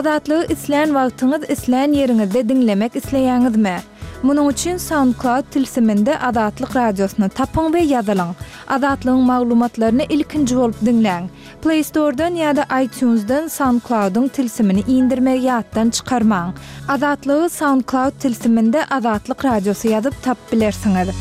Azatlygy islän wagtyňyz, islän ýeriňizde diňlemek isleýäňizmi? Munuň üçin SoundCloud tilsiminde Azatlyk Radiosyny tapyň we ýazylyň. Azatlygyň maglumatlaryny ilkinji bolup diňläň. Play Store-dan ýa-da iTunes-dan SoundCloud-yň tilsimini indirmegi ýatdan çykarmaň. Azatlygy SoundCloud tilsiminde Azatlyk Radiosy ýazyp tapyp bilersiňiz.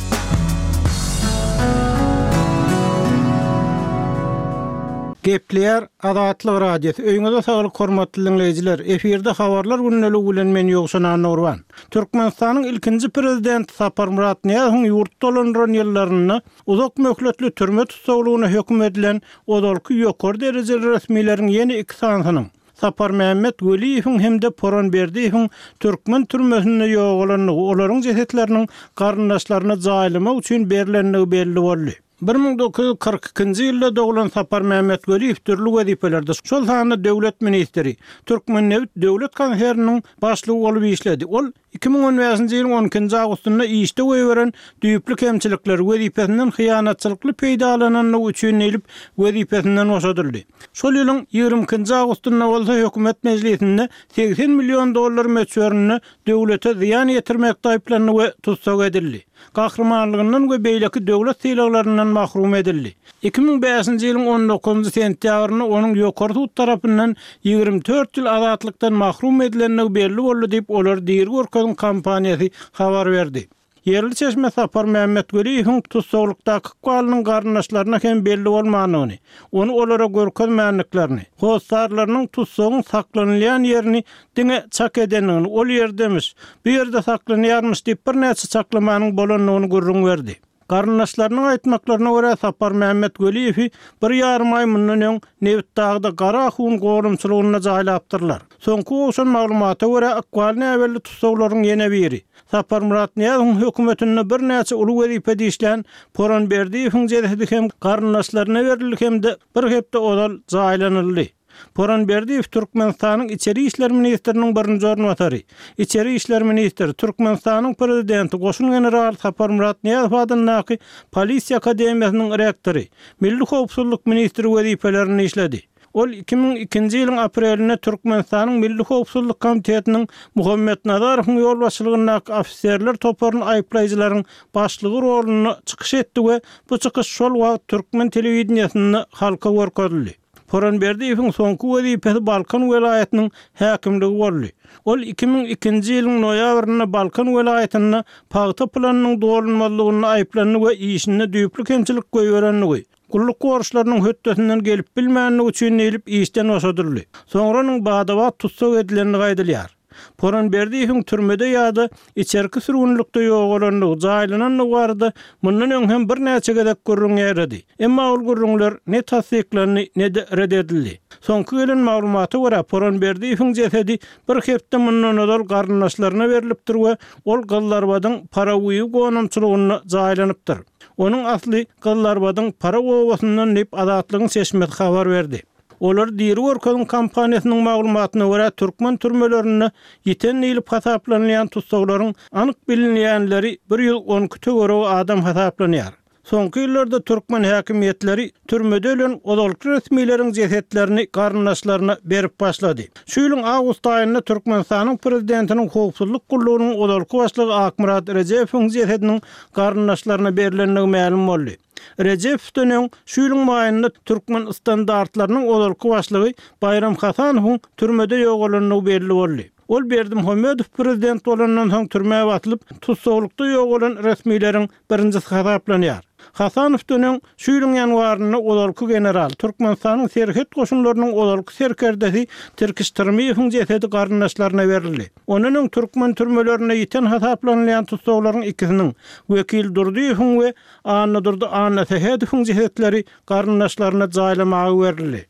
Gepleýär Azatlyk Radiosy, Öýüňize saglyk hormatly diňleýjiler! Efirde Habarlar gündeligi bilen men Ýowşan Annagurban. Türkmenistanyň ilkinji Prezidenti Saparmyrat Nyýazowyň ýurt dolandyran ýyllarynda uzak möhletli türme tussaglygyna höküm edilen ozalky ýokary derejeli resmileriň ýene iki sanysynyň, Saparmämmet Weliýewiň hem-de Poran Berdiýewiň türkmen türmesinde ýogalandygy, olaryň jesetleriniň garyndaşlaryna jaýlamak üçin berlendigi belli boldy. 1942-nji ýylda doglan Saparmämmet Weliýew dürli wezipelerde, şol sanda döwlet ministri, Türkmennebit döwlet konserniniň başlygy bolup işledi. Ol 2015-nji ýylyň on ikinji awgustynda işde goýberen düýpli kemçilikleri, wezipesinden hyýanatçylykly peýdalanandygy üçin diýlip, wezipesinden boşadyldy. Şol ýylyň ýigrimi ikinji awgustynda bolsa hökümet mejlisinde 80 million dollar möçberinde döwlete zyýan ýetirmekde aýyplandy we tussag edildi. Gahrymanlygyndan we beýleki döwlet sylaglaryndan mahrum edildi. 2005-nji ýylyň on dokuzynjy sentýabrynda onuň Ýokary sud tarapyndan 24 ýyl azatlykdan mahrum edilendigi belli boldy diýip, Olary diri görkeziň kampaniýasy habar berdi. Ýerli çeşme Sapar Mämmetweliýewiň tussaglykdaky ykbalynyň garyndaşlaryna hem belli bolmandygyny, ony olara görkezmändiklerini, hossarlarynyň tussagyň saklanylýan ýerini diňe çak edendigini, ol ýerdemiş, bu ýerde saklanýarmyş diýip birnäçe çaklamanyň bolandygyny gürrüň berdi. Garyndaşlarynyň aýtmaklaryna görä, Saparmämmet Weliýewi bir ýarym aý mundan öň Nebitdagda Gara ahun gorumçylygynda jaýlapdyrlar. Soňky gowşan maglumata görä, ykbaly näbelli tussaglaryň ýene biri, Saparmyrat Nyýazowyň hökümetinde birnäçe uly wezipede işlän Poran Berdiýewiň jesedi hem garyndaşlaryna berildi hem-de bir hepde ozal jaýlanyldy. Poran Berdiýew Türkmenistanyň Içeri işler ministriniň birinji orunbasary, içeri işler ministri, Türkmenistanyň Prezidenti, goşun generaly Saparmyrat Nyýazow adyndaky Polisiýa akademiýasynyň rektory, Milli howpsuzlyk ministri wezipelerinde işledi. Ol 2002-nji ýylyň aprelinde Türkmenistanyň Milli howpsuzlyk komitetiniň Muhammet Nazarowyň ýolbaşçylygyndaky ofiserler toparyny aýyplaýjylaryň başlygy rolunda çykyş etdi we bu çykyş şol wagt türkmen telewideniýesinde halka görkezildi. Poran Berdiýewiň soňky wezipesi Balkan welaýatynyň häkimligi boldy. Ol 2002-nji ýylyň noýabrynda Balkan welaýatynda pagta planynyň dolunmazlygynda aýyplandy we işinde düýpli kemçilik goýberendigi, gulluk borçlarynyň hötdesinden gelip bilmändigi üçin diýlip işden boşadyldy. Soňra onuň bada-bat tussag edilendigi aýdylýar. Poran Berdiýewiň türmede ýa-da içerki sürgünlikde ýogalandygy, jaýlanandygy barada mundan öň hem birnäçe gezek gürrüň ýaýrady. Emma ol gürrüňler ne tassyklandy, ne-de ret edildi. Soňky gelen maglumata görä, Poran Berdiýewiň jesedi bir hepde mundan ozal garyndaşlaryna berlipdir we ol Gyzlarbadyň Paraguýy gonamçylygynda jaýlanypdyr. Onuň asly Gyzlarbadyň Paraw obasyndan diýip, Azatlygyň çeşmesi habar berdi. Olary diri görkeziň kampaniýasynyň maglumatyna görä, türkmen türmelerinde ýiten diýlip hasaplanylýan tussaglaryň anyk bilinýänleri 112 töweregi adam hasaplanýar. Soňky ýyllarda türkmen häkimiýetleri türmede ölen ozalky resmileriň jesetlerini garyndaşlaryna berip başlady. Şu ýylyň awgust aýynda Türkmenistanyň prezidentiniň howpsuzlyk gullugynyň ozalky başlygy Akmyrat Rejepowyň jesediniň garyndaşlaryna berlendigi mälim boldy. Rejepowdan öň, şu ýylyň maýynda Türkmen standartlarynyň ozalky başlygy Baýram Hasanowyň türmede ýogalandygy belli boldy. Ol Berdimuhamedow prezident bolandan soň türmä basylyp, tussaglykda ýogalan resmileriň birinjisi hasaplanýar. Hasanowdan öň, şu ýylyň ýanwarynda ozalky general, Türkmenistanyň serhet goşunlarynyň ozalky serkerdesi Tirkiş Tyrmyýewiň jesedi garyndaşlaryna berildi. Ondan öň türkmen türmelerinde ýiten hasaplanylýan tussaglaryň ikisiniň, Wekil Durdyýewiň we Annadurdy Annasähedowyň jesetleri garyndaşlaryna jaýlamaga berildi.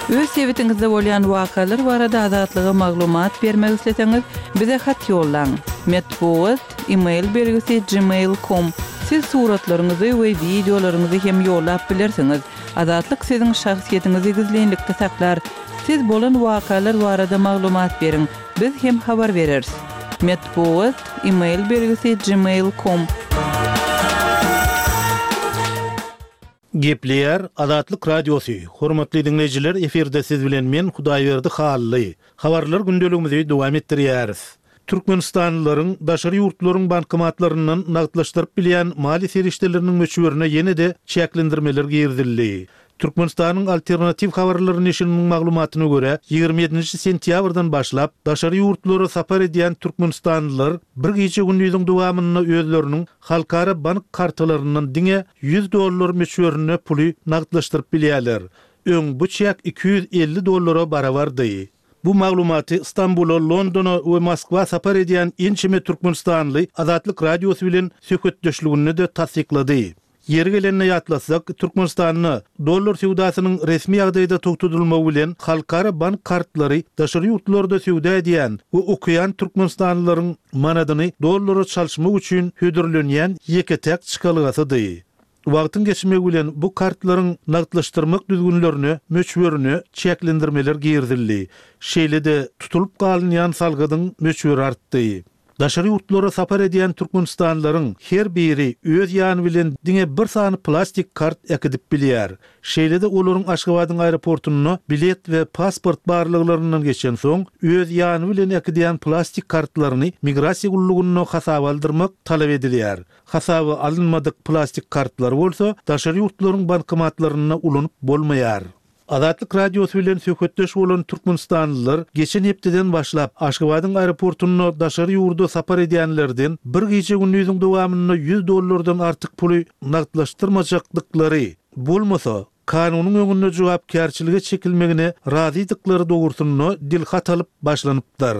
Öz sebitiňizde bolýan wakalar barada Azatlyga maglumat bermek isleseňiz, bize hat ýollaň. Metbugat, e-mail belgisi gmail com. Siz suratlaryňyzy we wideolaryňyzy hem ýollap bilersiňiz. Azatlyk siziň şahsyýetiňizi gizlinlikde saklar. Siz bolan wakalar barada maglumat beriň, biz hem habar bereris. Metbugat, e-mail belgisi gmail com. Gepleýär Azatlyk Radiosy, Hormatly diňleýjiler efirde siz bilen men Hudaýberdi Hally. Habarlar gündeligimizi dowam etdirýäris. Türkmenistanlylaryň daşary ýurtlaryň bankomatlaryndan nagtlaşdyryp bilýän maliýe serişdeleriniň möçberine ýene-de çäklendirmeler girizildi. Türkmenistanyň Alternatiw habarlary neşiriniň maglumatyna görä, 27-nji sentýabrdan başlap, daşary ýurtlara sapar edýän türkmenistanlylar bir gije-gündiziň dowamynda özleriniň halkara bank kartalaryndan diňe 100 dollar möçberinde puly nagtlaşdyryp bilýärler. Öň bu çäk 250 dollara barabardy. Bu maglumaty Stambula, Londona we Moskwa sapar edýän ençeme türkmenistanly Azatlyk Radiosy bilen söhbetdeşliginde-de tassyklady. Ýeri gelende ýatlatsak, Türkmenistanda dollar söwdasynyň resmi ýagdaýda togtadylmagy bilen halkara bank kartlary daşary ýurtlarda söwda edýän we okaýan türkmenistanlylaryň manadyny dollara çalyşmak üçin hödürlenýän ýeke-täk çykalgasydy. Wagtyň geçmegi bilen bu kartlaryň nagtlaşdyrmak düzgünlerine, möçberine çäklendirmeler girizildi. Şeýle-de tutulyp galynýan salgydyň möçberi artdy. Daşary ýurtlara sapar edýän türkmenistanlylaryň her biri öz ýany bilen diňe bir sany plastik kart äkidip bilýär. Şeýle-de olaryň Aşgabadyň aeroportunda bilet we pasport barlaglaryndan geçensoň, öz ýany bilen äkidýän plastik kartlaryny migrasiýa gullugynda hasaba aldyrmak talap edilýär. Hasaba alynmadyk plastik kartlary bolsa daşary ýurtlaryň bankomatlarynda ulanyp bolmaýar. Azatlyk Radiosy bilen söhbetdeş bolan türkmenistanlylar geçen hepdeden başlap Aşgabadyň aeroportunda daşary ýurda sapar edýänlerden bir gije-gündiziň dowamynda 100 dollardan artyk puly nagtlaşdyrmajakdyklary, bolmasa, kanunyň öňünde jogapkärçilige çekilmegine razydyklary dogrusynda dilhat alyp başlanypdyr.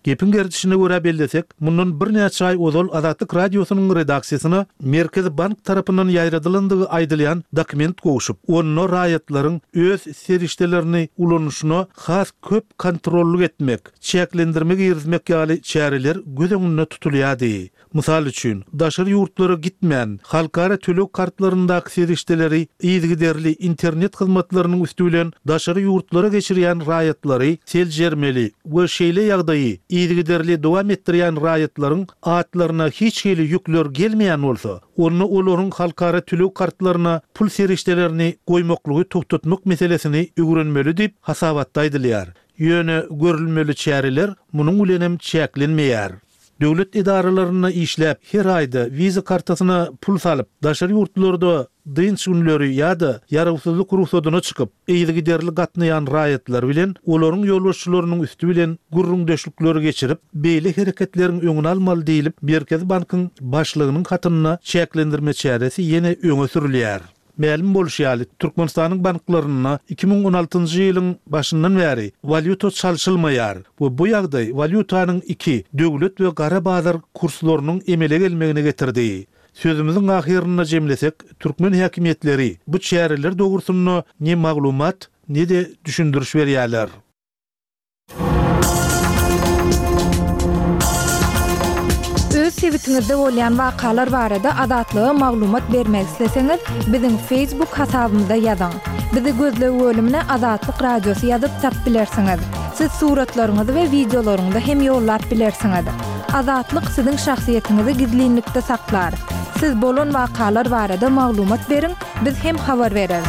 Gepiň gerdişine görä bellesek, mundan birnäçe aý ozal Azatlyk Radiosynyň redaksiýasyna Merkezi bank tarapyndan ýaýradylandygy aýdylýan dokument gowşup, onda raýatlaryň öz serişdelerini ulanyşyna has köp kontrollyk etmek, çäklendirme girizmek ýaly çäreler göz öňünde tutulýardy. Mysal üçin, daşary ýurtlara gitmän, halkara töleg kartlaryndaky serişdeleri yzygiderli internet hyzmatlarynyň üsti bilen daşary ýurtlara geçirýän raýatlary seljermeli we şeýle ýagdaýy yzygiderli dowam etdirýän raýatlaryň atlaryna hiç hili ýükler gelmeýän bolsa, onda olaryň halkara töleg kartlaryna pul serişdelerini goýmaklygy togtatmak meselesini öwrenmeli diýip, hasabatda aýdylýar. Ýöne görülmeli çäreler munuň bilenem çäklenmeýär. Döwlet edaralarynda işläp, her aýda wiza kartasyna pul salyp, daşary ýurtlarda dynç günleri ýa-da ýarawsyzlyk rugsadyna çykyp, yzygiderli gatnaýan raýatlar bilen olaryň ýolbaşçylarynyň üsti bilen gürrüňdeşlikleri geçirip, beýle hereketleriň öňüni almaly diýlip, Merkezi bankyň başlygynyň hatynda çäklendirme çäresi ýene öňe sürülýär. Mälim bolşy ýaly, Türkmenistanyň banklarynda 2016-njy ýylyň başyndan bäri walýuta çalşylmaýar we bu ýagdaý walýutanyň iki, döwlet we gara bazar kurslarynyň emele gelmegine getirdi. Sözümiziň ahyrynda jemlesek, türkmen häkimiýetleri bu çäreler dogrusynda ne maglumat, ne-de düşündiriş berýärler. Öz sebitiňizde bolýan wakalar barada Azatlyga maglumat bermek isleseňiz, biziň Facebook hasabymyza ýazyň. Bizi gözleg bölümine Azatlyk Radiosy ýazyp tap bilersiňiz. Siz suratlaryňyzy we wideolaryňyzy hem ýollap bilersiňiz. Azatlyk siziň şahsyýetiňizi gizlinlikde saklar. Siz bolan wakalar barada maglumat beriň, Biz hem habar bereris.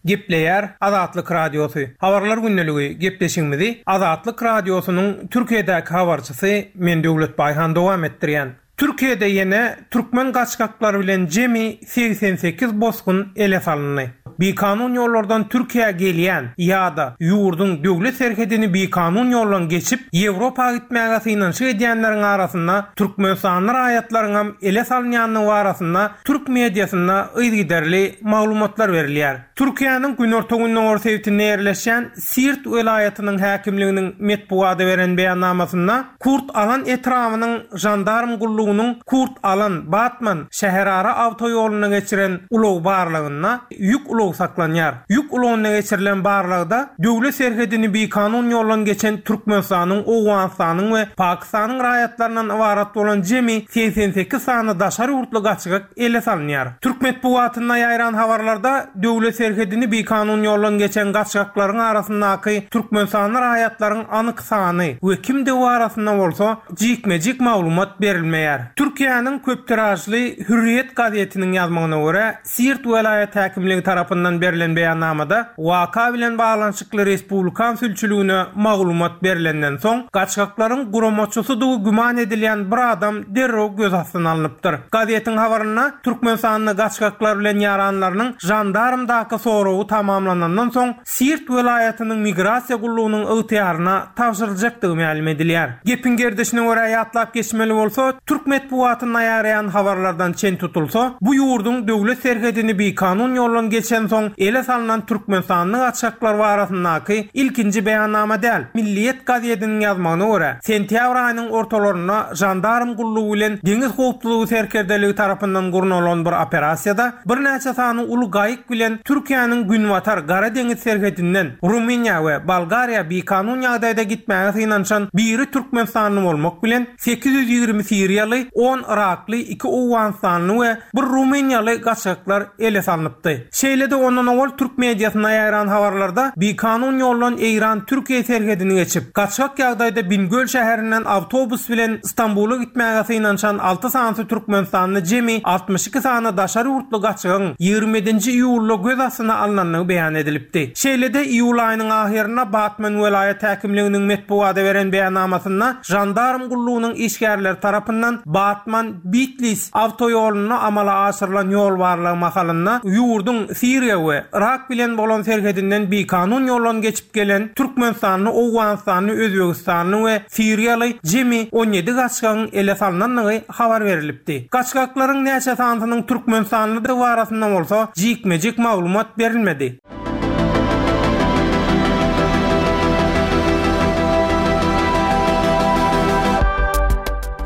Gepleýär Azatlyk Radiosy. Habarlar gündeligi gepleşigimizi Azatlyk Radiosynyň Türkiýedäki habarçysy men Döwlet Baýhan dowam etdirýän. Türkiýede ýene türkmen gaçgaklary bilen jemi 88 bosgun ele salyndy. Bikanun ýollardan Türkiýä gelýän ýa-da ýurduň döwlet serhedini bikanun ýoldan geçip, Ýewropa gitmäge synanyşyk edýänleriň arasynda türkmenistanly raýatlaryňam ele salynýandygy barasynda türk mediasynda yzygiderli maglumatlar berilýär. Türkiýäniň günorta-gündogar sebitinde ýerleşýän Siirt welaýatynyň häkimliginiň metbugata beren beýannamasynda, Kurt Alan etrabynyň žandarm gullugynyň Kurt Alan, Batman şäherara awtoýolunda geçiren ulag barlagynda ýük ulagy. ulag saklanýar. Ýük ulagynda geçirilen barlagda döwlet serhedini bikanun ýoldan geçen Türkmenistanyň, Owganystanyň we Pakistanyň raýatlaryndan ybarat bolan jemi 88 sany daşary ýurtly gaçgak ele salynýar. Türk metbugatynda ýaýran habarlarda döwlet serhedini bikanun ýoldan geçen gaçgaklaryň arasyndaky türkmenistanly raýatlaryň anyk sany we kimdigi barasynda bolsa jikme-jik maglumat berilmeýär. Türkiýäniň köp tiražly Hürriýet gazetiniň ýazmagyna görä, Siirt welaýat häkimligi tarapyndan berlen beýannamada waka bilen baglanyşykly respublikan sülçüligine maglumat berlenden soň, gaçgaklaryň guramaçysydygy güman edilýän bir adam derrew göz astyna alnypdyr. Gazetiň habarynda Türkmenistanda gaçgaklar bilen ýaranlarynyň žandarmdaky soragy tamamlanandan soň, Siirt welaýatynyň migrasiýa gullugynyň ygtyýaryna tabşyryljakdygy mälim edilýär. Gepiň gerdişine görä ýatlap geçmeli bolsa, türk metbugatynda ýaýraýan habarlardan çen tutulsa, bu ýurduň döwlet serhedini bikanun ýoldan geçensoň ele salnan türkmenistanly gaçgaklar barasyndaky ilkinji beýannama däl. Milliýet gazediniň ýazmagyna görä, sentýabr aýynyň ortalarynda žandarm gullugy bilen deňiz howpsuzlygy serkerdeligi tarapyndan gurnalan bir operasiýada birnäçe sany uly gaýyk bilen Türkiýäniň günbatar Gara deňiz serhedinden Rumyniýa we Bolgariýa bikanun ýagdaýda gitmäge synanyşan biri türkmenistanly bolmak bilen, 820 siriýaly, on yrakly, iki owganystanly we bir rumyniýaly gaçgaklar ele salnypdy. Şeýle-de ondan owal türk mediasynda ýaýran habarlarda bikanun ýoldan Eýran-Türkiýe serhedini geçip, gaçgak ýagdaýda Bingöl şäherinden awtobus bilen Stambula gitmäge synanyşan alty sanysy türkmenistanly jemi 62 sany daşary ýurtly gaçgagyň 27-nji iýulda göz astyna alnandygy beýan edilipdi. Şeýle-de iýul aýynyň ahyrynda Batman welaýat häkimliginiň metbugata beren beýannamasynda žandarm gullugynyň işgärleri tarapyndan Batman, Bitlis awtoýolunda amala aşyrylan ýol barlagy mahalynda ýurduň Siriýa we Yrak bilen bolan serhedinden bikanun ýoldan geçip gelen türkmenistanly, owganystanly, özbegistanly we siriýaly jemi 17 gaçgagyň ele salnandygy habar berlipdi. Gaçgaklaryň näçe sanysynyň türkmenistanlydygy barasynda bolsa jikme-jik maglumat berilmedi.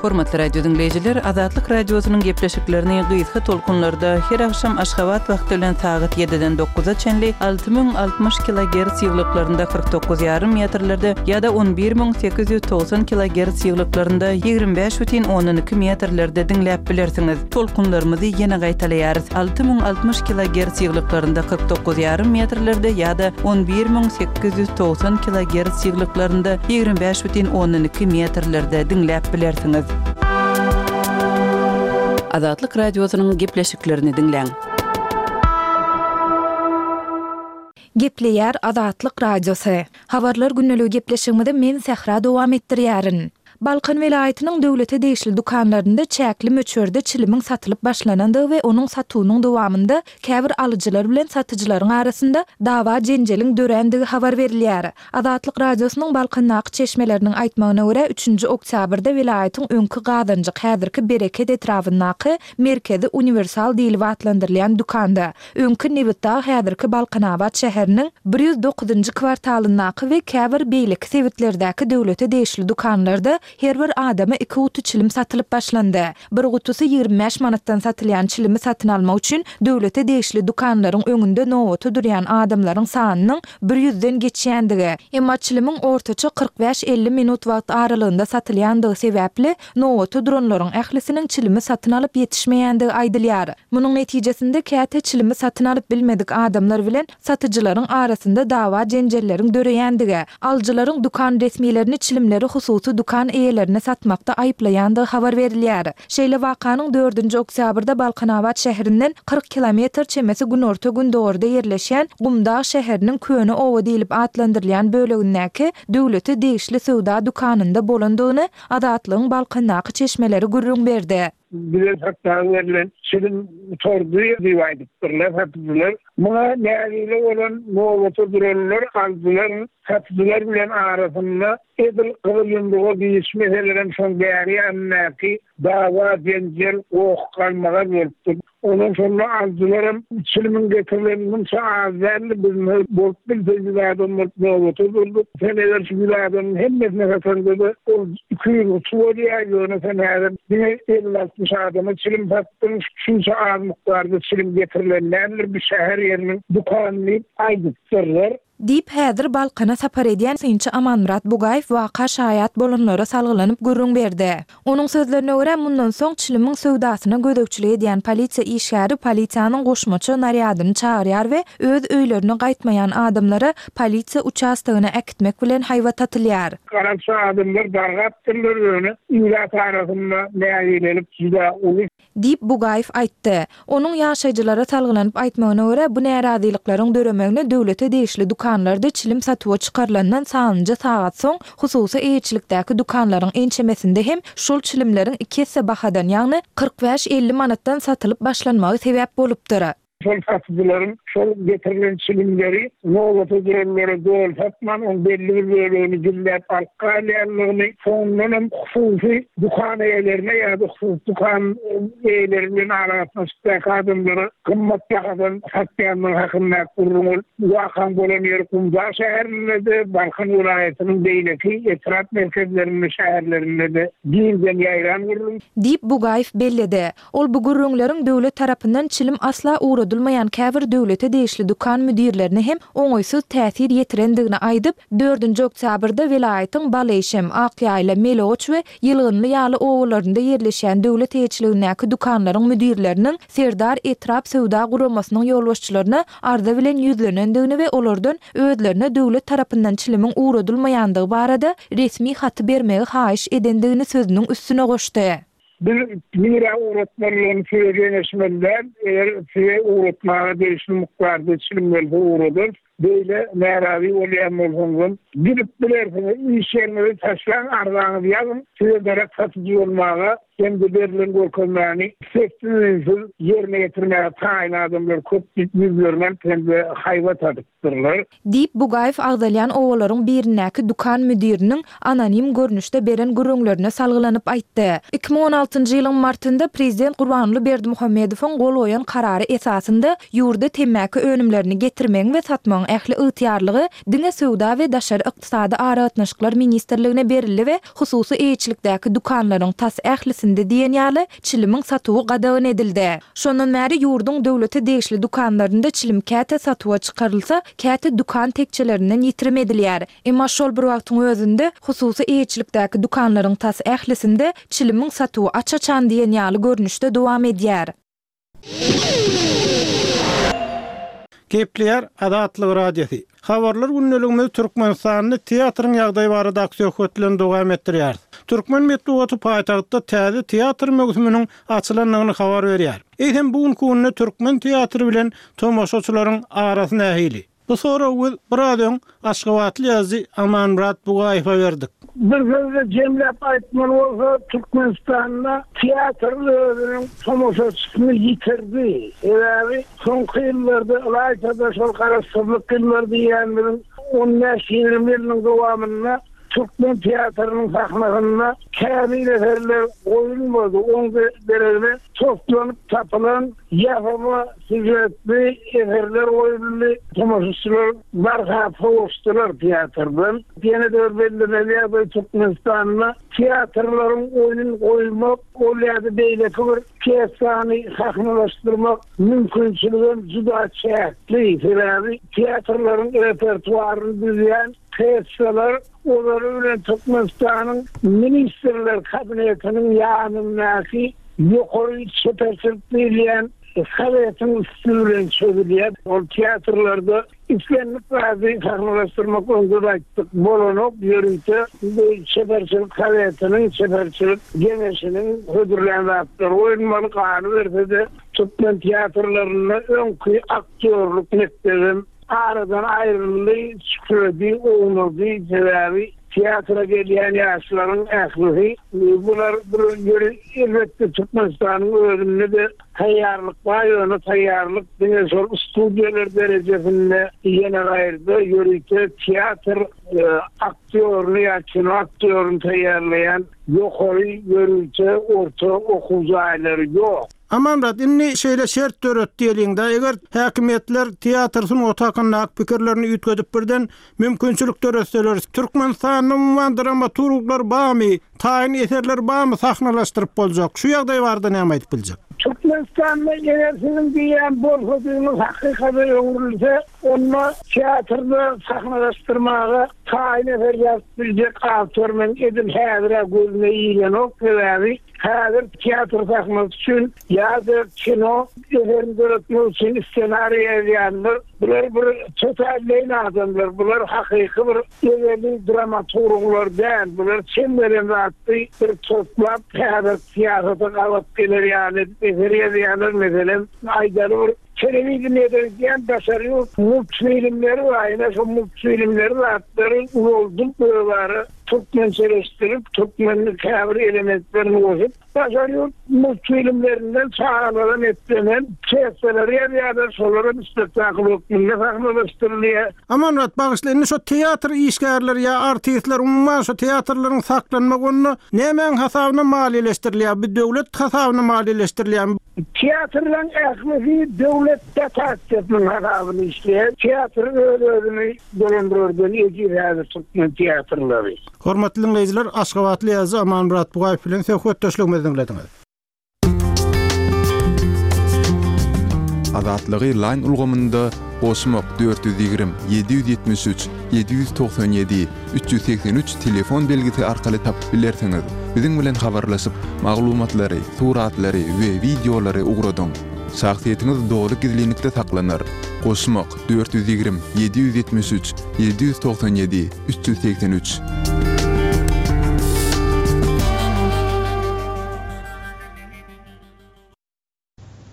Hormatly radio diňleýjiler, Azatlyk Radiosynyň gepleşiklerini gysga tolkunlarda her agşam Aşgabat wagty bilen sagat ýediden dokuza çenli 6060 kilogerts ýyglyklarynda 49 ýarym metrlerde ýa-da 11890 kilogerts ýyglyklarynda 25 bütin ondan iki metrlerde diňläp bilersiňiz. Tolkunlarymyzy ýene gaýtalaýarys, 6060 kilogerts ýyglyklarynda 49 ýarym metrlerde ýa-da 11890 kilogerts ýyglyklarynda 25 bütin ondan iki metrlerde diňläp bilersiňiz. Azatlyk Radiosynyň gepleşiklerini diňläň. Gepleýär Azatlyk Radiosy. Habarlar gündeligi gepleşigimizi men Sähra dowam etdirýärin. Balkan welaýatynyň döwlete degişli dükanlarynda çäkli möçberde çilimiň satylyp başlanandygy we onuň satuwynyň dowamynda käbir alyjylar bilen satyjylaryň arasynda dawa-jenjeliň dörändigi habar berilýär. Azatlyk Radiosynyň Balkandaky çeşmeleriniň aýtmagyna görä, üçünji oktýabrda welaýatyň öňki Gazanjyk, häzirki Bereket etrabyndaky Merkezi uniwersal diýlip atlandyrylýan dükanda, öňki Nebitdag, häzirki Balkanabat şäheriniň 109-njy kwartalyndaky we käbir beýleki sebitlerdäki döwlete degişli dükanlarda her bir adama iki guty çilim satylyp başlandy. Bir gutusy 25 manatdan satylýan çilimi satyn almak üçin döwlete degişli dükanlaryň öňünde nobata durýan adamlaryň sanynyň bir ýüzden geçýändigi, emma çilimiň ortaça 45-50 minut wagt aralygynda satylýandygy sebäpli, nobata duranlaryň ählisiniň çilimi satyn alyp ýetişmeýändigi aýdylýar. Munuň netijesinde käte çilimi satyn alyp bilmedik adamlar bilen satyjylaryň arasynda dawa-jenjelleriň döreýändigi, alyjylaryň dükan resmilerini çilimleri hususy dükan eýelerine satmakda aýyplaýandygy habar berilýär. Şeýle wakanyň dördünji oktýabrda Balkanabat şäherinden 40 kilometr çemesi günorta-gündogarda ýerleşýän Gumdag şäheriniň Köne oba diýlip atlandyrylýan bölegindäki döwlete degişli söwda dükanynda bolandygyny Azatlygyň Balkandaky çeşmeleri gürrüň berdi. Bize satmaga berlen çilim gutardy diýip aýdypdyrlar satyjylar. Muňa nägile bolan nobata duranlar alyjylar satyjylar bilen arasynda edil gyzyl ýumruga girişmeselerem şoň bäri ýanyndaky dawa-jenjel, goh-galmagal bolupdyr. Ondan şonda alyjylaram çilimiň getirileni munça az däldi, biz bolup bilse ýüz adam bolup nobata durduk. Sen eger şu ýüz adamyň hemmesine sataňda-da ol 200 guty bolýar, ýöne sen häzir diňe elli-altmyş adama çilim satdyň, şunça az mukdarda çilim getirilen däldir bu şäher ýeriniň dükany diýip aýdypdyrlar. Diýip, häzir Balkana sapar edýän synçy Amanmyrat Bugaýew waka şaýat bolanlara salgylanyp gürrüň berdi. Onuň sözlerine görä, mundan soň çilimiň söwdasyna gözegçilik edýän polisiýa işgäri polisiýanyň goşmaça narýadyny çagyrýar we öz öýlerine gaýtmaýan adamlara polisiýa uçastogyna äkitmek bilen haýbat atylýar. Garakçy adamlar dargapdyrlar, ýöne ilat arasynda nägilelik juda uly. Diýip, Bugaýew aýtdy. Onuň ýaşaýjylara salgylanyp aýtmagyna görä, bu närazylyklaryň döremegine döwlete degişli dükanlarda çilim satuwa çykarylandan sanlyja sagat soň, hususy eýeçilikdäki dükanlaryň ençemesinde hem şol çilimleriň iki esse bahadan, ýagny 45, 50 manatdan satylyp başlanmagy sebäp bolupdyr. Şol satyjylaryň şol getirilen çilimleri nobata duranlara doly satman, oň belli bir bölegini gizläp alyp galýanlygyny, soňundanam hususy dükan eýelerine ýa-da hususy dükan eýeleri bilen aragatnaşykdaky adamlara gymmat bahadan satýanlygy hakyndaky gürrüň ol wakaň bolan ýeri Gumdag şäherinde-de, Balkan welaýatynyň beýleki etrap merkezlerinde, şäherlerinde-de giňden ýaýran gürrüň. Diýip, Bugaýew belledi. Ol bu gürrüňleriň döwlet tarapyndan çilim asla ugradylmaýan käbir döwlete degişli dükan müdirlerine hem oňaýsyz täsir ýetirendigini aýdyp, dördünji oktýabrda welaýatyň Baleýşem, Akýaýla, Melegoç we Ýylgynly ýaly obalarynda ýerleşýän döwlet eýeçiligindäki dükanlaryň müdirleriniň Serdar etrap söwda guramasynyň ýolbaşçylaryna arza bilen ýüzlenendigini we olardan özlerine döwlet tarapyndan çilimiň ugradylmaýandygy barada resmi haty bermegi haýyş edendigini sözüniň üstüne goşdy. Biz nirä ugratmalydygyny size geňeşmeli däl, eger size ugratmaga degişli mukdarda çilim gelse ugradarys. Beýle närazy bolýan bolsaňyzam, gidip bilersiňiz, iş ýeriňizi taşlaň, arzaňyzy ýazyň, size derek satyjy bolmaga hem-de berlen görkezmäni sessiz-üýnsüz ýerine ýetirmäge taýyn adamlar köp diýip ýüzlerini alyp hem-de haýbat atyp. Dyrlar. Diýip, Bugaýew agzalýan obalaryň birindäki dükan müdiriniň anonim görnüşde beren gürrüňlerine salgylanyp aýtdy. 2016-njy ýylyň martynda prezident Gurbanguly Berdimuhamedowyň gol goýan karary esasynda ýurda temmäki önümlerini getirmegiň we satmagyň ähli ygtyýarlygy diňe Söwda we daşary ykdysady aragatnaşyklar ministrligine berildi we hususy eýeçilikdäki dükanlaryň tas ählisinde diýen ýaly çilimiň satuwy gadagan edildi. Şondan bäri ýurduň döwlete degişli dükanlarynda çilim käte satuwa çykarylsa, käte dükan tekjelerinden ýitirim edilýär. Emma şol bir wagtyň özünde, hususy eýeçilikdäki dükanlaryň tas ählisinde çilimiň satuwy aç-açan diýen ýaly görnüşde dowam edýär. Gepleýär Azatlyk Radiosy. Habarlar gündeligimizi Türkmenistanda teatryň ýagdaýy baradaky söhbet bilen dowam etdirýäris. Türkmen metbugaty paýtagtda täze teatr möwsüminiň açylandygyny habar berýär. Eýsem bu günki günde türkmen teatry bilen tomaşaçylaryň arasy nähili? Bu soragy biz biraz öň aşgabatly ýazyjy Amanmyrat Bugaýewe berdik. Bir sözde jemläp aýtmaly bolsa, Türkmenistanda teatr özüniň tomaşaçysyny ýitirdi. Sebäbi soňky ýyllarda, ylaýta-da şol garaşsyzlyk ýyllary diýýänimiziň on bäş-ýigrimi ýylynyň dowamynda türkmen teatrynyň sahnasynda kämil eserler goýulmady. Oň deregine toslanyp tapylan ýasama sýužetli eserler goýuldy. Tomaşaçylar barha sowaşdylar teatrdan. Ýene-de bir bellemeli ýagdaý, Türkmenistanda teatrlaryň oýun goýmak, ol ýa-da beýleki bir pýesany sahnalaşdyrmak mümkinçiligem juda çäkli. Sebäbi teatrlaryň repertuaryny düzýän pýesalar ozaly bilen Türkmenistanyň Ministrler Kabinetiniň ýanyndaky ýokary çeperçilik diýilýän sowetiň üsti bilen çözülýär. Ol teatrlarda islendik zady sahnalaşdyrmak öňde-de aýtdyk, bolanok, ýörite bu çeperçilik sowetiniň, çeperçilik geňeşiniň hödürlän zatlary goýulmaly, galyberse-de türkmen teatrlarynda öňki aktýorlyk mekdebem Aradan aýryldy, çükredi, ownady, sebäbi teatra gelýän ýaşlaryň ählisi bular bir ýeri elbetde Türkmenistanyň özünde-de taýýarlyk bar, ýöne taýýarlyk diňe şol studiýalar derejesinde ýene gaýrda ýörite teatr aktýoryny ýa kino aktýoryny taýýarlaýan ýokary ýörite orta okuw jaýlary ýok. Amanmyrat, indi şeýle şert döret diýeliň-dä, eger häkimiýetler teatr sungaty hakyndaky pikirlerini üýtgedip birden mümkinçilik döretseler, Türkmenistanda umuman dramaturglar barmy, taýyn eserler barmy sahnalaşdyryp boljak? Şu ýagdaý barada näme aýdyp biljek? Türkmenistanda eger siziň diýýän bolsadygyňyz hakykata öwrülse, onda teatrda sahnalaşdyrmaga taýyn eser ýazyp biljek awtor meň edil häzir-ä gözüme ilenok, sebäbi häzir teatr sahnasy üçin ýa-da kino eserini döretmek üçin ssenariý ýazýanlar, bular bir tötänleýin adamlar, bular hakyky bir ezeli dramaturglar däl, bular çem gelen zatdy bir toplap häzir syýasata gabat geler ýaly edip eser ýazýarlar, meselem, aýdaly bir Telewideniýede gidýän daşary ýurt multfilmleri bar, ine şo multfilmleri zatlary ulaldyp özara türkmençeleşdirip, türkmenlik käbir elementlerini goşup, daşary ýurt multfilmlerinden çagalara netlenen pýesalary ýazýarlar, şolaram spektakl hökmünde sahnalaşdyrylýar. Amanmyrat, bagyşla, indi şo teatr işgärleri ýa artistler umuman şo teatrlaryň saklanmagy onda nämäň hasabyna maliýeleşdirilýär? Bu döwlet hasabyna maliýeleşdirilýärmi? Teatrlaryň ählisi döwlet dotasiýasynyň hasabyna işleýär. Teatr öz-özüni dolandyrardan ejiz häzir türkmen teatrlary. Hormatly diňleýjiler, aşgabatly ýazyjy Amanmyrat Bugaýew bilen söhbetdeşligimizi diňlediňiz. Azatlygy Line ulgamynda goşmak 420 773 797 383 telefon belgisi arkaly tapyp bilersiňiz. Biziň bilen habarlaşyp, maglumatlary, suratlary we wideolary ugradyň. Şahsyýetiňiz doly gizlinlikde saklanar. Goşmak, 420 773 797 383.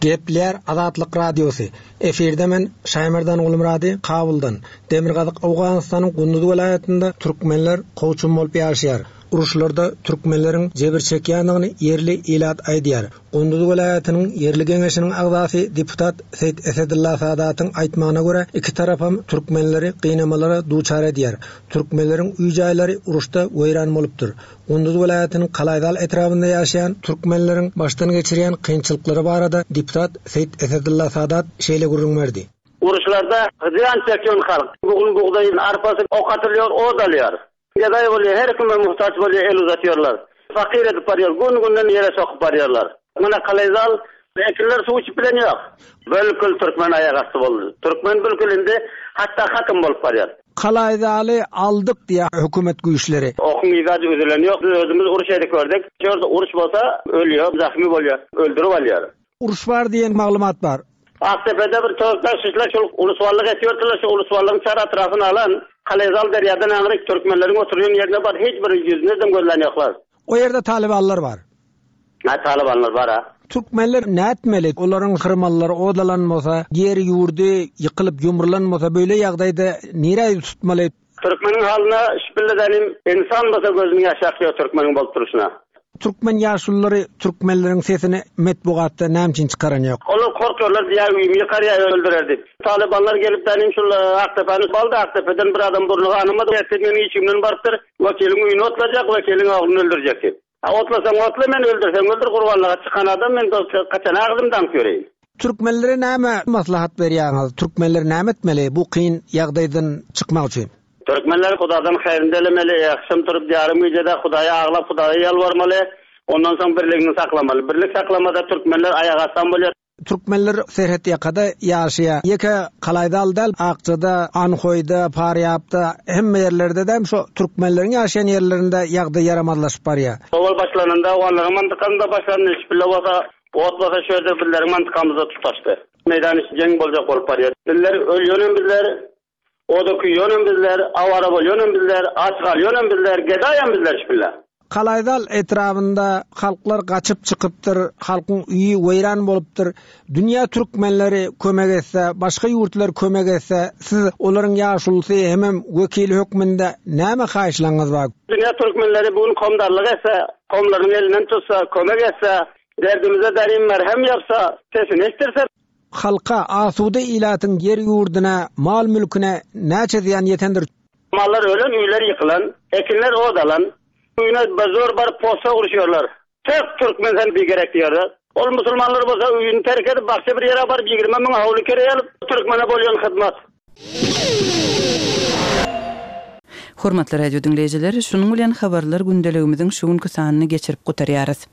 Gepleýär Azatlyk Radiosy, Efirde men Şaýmerdan Gulmyrady Kabuldan. Demirgazyk Owganystanyň Gunduz welaýatynda türkmenler kowçum bolup ýaşaýar. Uruşlarda türkmenleriň jebir çekýändigini ýerli ilat aýdýar. Gunduz welaýatynyň ýerli geňeşiniň agzasy deputat Seýit Esedylla Sadatyň aýtmagyna görä, iki tarapam türkmenleri gynamalara duçar edýär. Türkmenleriň öý-jaýlary uruşda weýran bolupdyr. Gunduz welaýatynyň Kalaýzal etrabynda ýaşaýan türkmenleriň başdan geçirýän kynçylyklary barada deputat Seýit Esedylla Sadat şeýle gürrüň berdi. Uruşlarda zyýan çekýän halk. Bu gün bugdaýyň arpasy ok atylýar, ot alýar. Gedaý bolýar, her kime muhtaç bolýar, el uzatýarlar. Fakyr edip barýar, gün-günden ýere sokup barýarlar. Mana Kalaýzal ekinler suw içip bilen ýok. Bölkül türkmen aýak asty boldy. Türkmen bülkül indi hatda hatym bolup barýar. Kalaýzaly aldyk diýýär hökümet güýçleri. Okuň yzajy üzülen ýok. Biz özümiz uruş edip gördük. Şu ýerde uruş bolsa ölýär, zahymy bolýar, öldürip alýar. Uruş bar diýen maglumat bar. Akdepede bir töwekgel şişler şol ulusballyk etýärdiler, şu ulusballygyň çar atrafyny alan Kalaýzal derýadan aňryk türkmenleriň oturýan ýerine bar hiç bir ýüzüne-dem gözlän ýoklar. O ýerde talybanlar bar. Hä talybanlar bar-a. Türkmenler nätmeli? Olaryň hyrmanlary odalan bolsa, ýeri-ýurdy ýykylyp ýumrulan bolsa beýle ýagdaýda nirä ýüz tutmaly? Türkmeniň halyna şpilledenim ynsan bolsa gözüniň ýaşy akýar türkmeniň bolup durşuna. Türkmen ýaşululary türkmenleriň sesini metbugatda näme üçin çykaran ýok? Olar korkarlar diýýär öýümi ýykar ýa öldürer diýip. Talybanlar gelip dänim şul Akdepäni aldy Akdepeden bir adam burny ganamady ertir meniň işigimden barypdyr wekiliň öýüni otlajak wekiliň ogluny öldürjek diýip. A otlasaň otla meni öldürseň öldür gurbanlyga çykan adam men dost haçan agzym daňyp ýöreýin. Türkmenlere näme maslahat berýäňiz? Türkmenler näme etmeli bu kyn ýagdaýdan çykmak üçin? Türkmenler Hudadan haýryny dilemeli, agşam turup ýarym gijede Hudaýa aglap Hudaýa ýalbarmaly, ondan soň birligini saklamaly. Birlik saklamasa türkmenler aýak astam bolýar. Türkmenler serhet ýakada ýaşaýar. Ýeke Kalaýdal däl, Akjada, Anhoýda, Parýapda, hemme ýerlerde-de şo türkmenleriň ýaşaýan ýerlerinde ýagdaý ýaramazlaşyp barýar. Owal başlananda owganlaryň mantykasynda başlandy, şpille bolsa, ot bolsa şu ýerde bizleriň mantykamyzda tutaşdy. Meýdan içi jeň boljak bolup barýar. Bizler ölýönem bizler, Oda küýýänem bizler, awara bolýanam bizler, aç galýanam bizler, gedaýam bizler şpille. Kalaýzal etrabynda halklar gaçyp çykypdyr, halkyň öýi weýran bolupdyr. Dünýä türkmenleri kömek etse, başga ýurtlar kömek etse, siz olaryň ýaşulusy hemem wekili hökmünde näme haýyşlaryňyz bar? Dünýä türkmenleri bu gün komdarlyk etse, komlaryň elinden tutsa, kömek etse, derdimize darim merhem ýapsa, sesini eşdirse. Halka, asuda ilatyň ýer-ýurduna, mal-mülküne näçe zyýan ýetendir? Mallar ölen, öýler ýykylan, ekinler ot alan. Öýüne zor baryp posa uruşýarlar. Tök türkmen sen bigerek diýýärler. Ol musulmanlar bolsa öýüni terk edip başga bir ýere baryp 20 müňe howly kireýe alyp türkmene bolýan hyzmat. Hormatly radio diňleýjiler, şunuň bilen habarlar gündeligimiziň şu günki sanyny geçirip gutarýarys.